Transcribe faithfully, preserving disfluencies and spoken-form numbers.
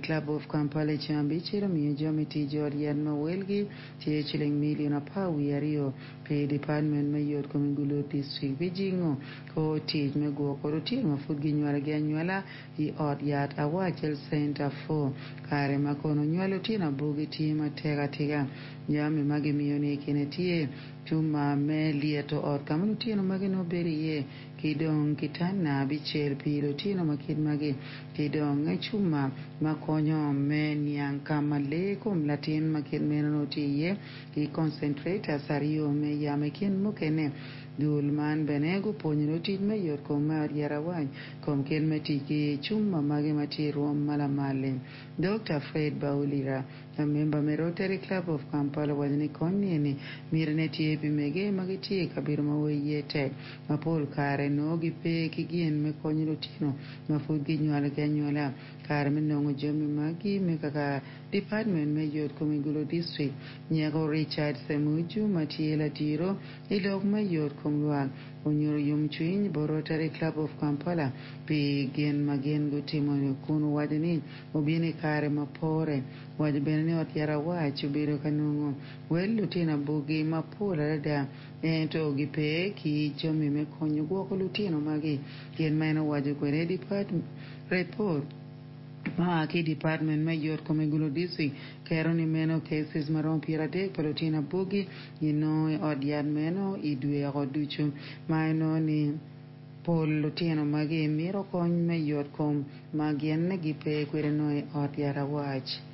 Club of Kampala i ceng abicel omiyo jami tic i ot yat ma welgi tye ciling milion apar wiye aryo pi dipatmen me yot kom i Gulu District pi jingo kor tic me gwoko lutino ma pud ginywalogi anywala i ot yat Awach Health Center four kare ma kono nywalo lutino abugi tye matek atika jami ma gimiyo-ni i kine tye cuma me lyeto ot ka ma lutino magi nongo bedo iye ki dong kitanda abicel pi lutino ma kit magi ki dong cuma ma konyo me niang ka ma lee kom latin ma kit meno nongo tye iye ki concentrators aryo me yamo i kin mukene dul man bene gupwonyo lutic me yot kom me ot yat awac kom kit me tic ki cuma magi ma tye i rwom ma lamal-li. Dr. Fred Baulira, a member me Rotary Club of Kampala owaco ni kony ni mitine tye pi mege ma gitye i kabedo ma wer iye tek ma pol kare nongo gipe ki gin me konyo lutino ma pud ginywalogi anywala kare me nongo jami magi me kaka Department me yot kom i Gulu District nyeko Richard Semuju ma tye ladiro i lok me yot kom lwak onyuto yomcwiny bot Rotary Club of Kampala pi gin ma gin gutimo kun owaco ni obino i kare ma pore owaco bene ni ot yat awac obedo ka nongo wel lutino abugi mapol adada ento gipe ki jami me konyo gwoko lutino magi gin ma en owaco kwede report ma ki department me yot kom i Gulu District kero ni meno cases maromo piero adek pa lutino abugi ginongo i ot yat meno i dweko ducu ma inongo ni pol lutino magi mito kony me yot kom ma gin gipe kwede nongo i ot yat awac.